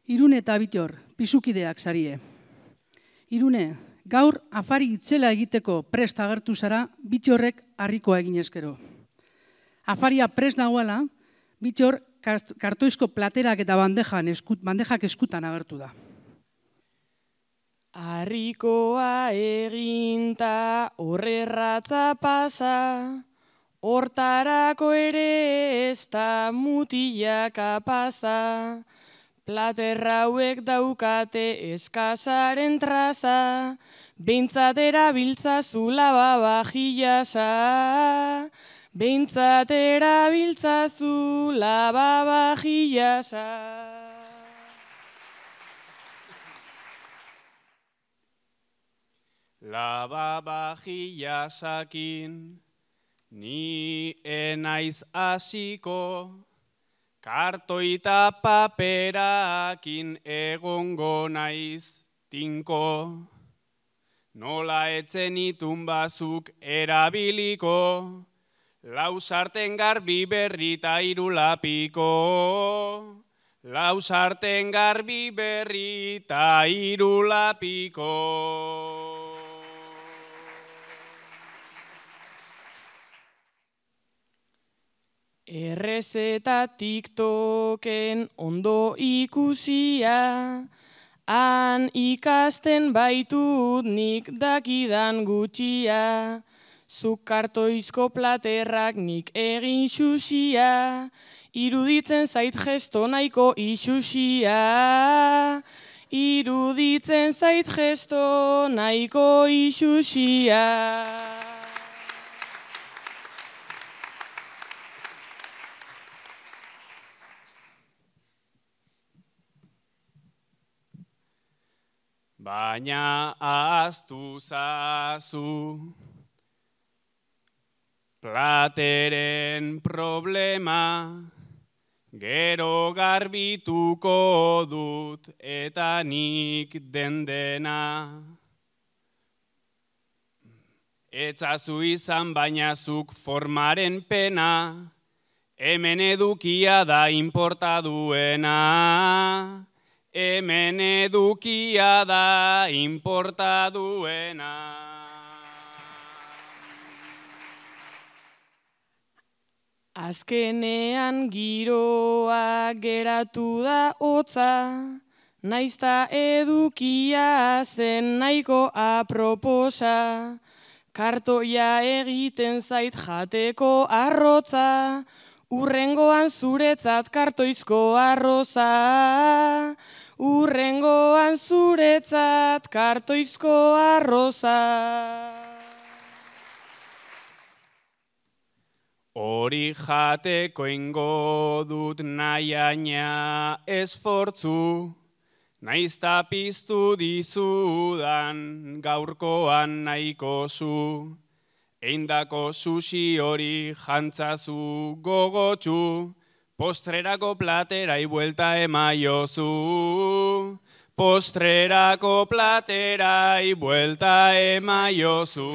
Irune eta Bitor, pisukideak zarie. Irune, gaur afari itzela egiteko prest agertu zara, Bitorrek harrikoa egin eskero. Afaria prest dagoela, Bitor kartoizko platerak eta bandejak eskutan agertu da. Harrikoa eginta horrerratza pasa, hortarako ere ez da mutilaka pasa, platerra hauek daukate eskasaren traza, behintzat erabiltzazu lavavajillasa, behintzat erabiltzazu lavavajillasa. Lavavajillasakin ni enaiz hasiko, kartoita paperakin egongo naiz tinko. Nola etzen itun bazuk erabiliko, lau sarten garbi berri ta hiru lapiko. Lau sarten garbi berri ta hiru lapiko. Errezeta TikToken ondo ikusia, han ikasten baitut nik dakidan gutxia, zuk kartoizko platerrak nik egin xuxia, iruditzen zait gesto nahiko isusia, iruditzen zait gesto nahiko isusia. Baina ahaztu zazu, plateren problema, gero garbituko dut eta nik dendena. Etzazu izan baina zuk formaren pena, hemen edukia da inporta duena. Hemen edukia da inporta duena. Azkenean giroa geratu da hotza, naizta edukia zen nahiko aproposa, kartoia egiten zait jateko arrotza, urrengoan zuretzat kartoizko arroza, urrengoan zuretzat kartoizko arroza. Hori jateko ingo dut nahiaina esfortzu, naizta piztu dizudan gaurkoan nahiko zu. Eindako sushi hori jantzazu gogotsu, postrerako platerai buelta emaiozu. Postrerako platerai buelta emaiozu.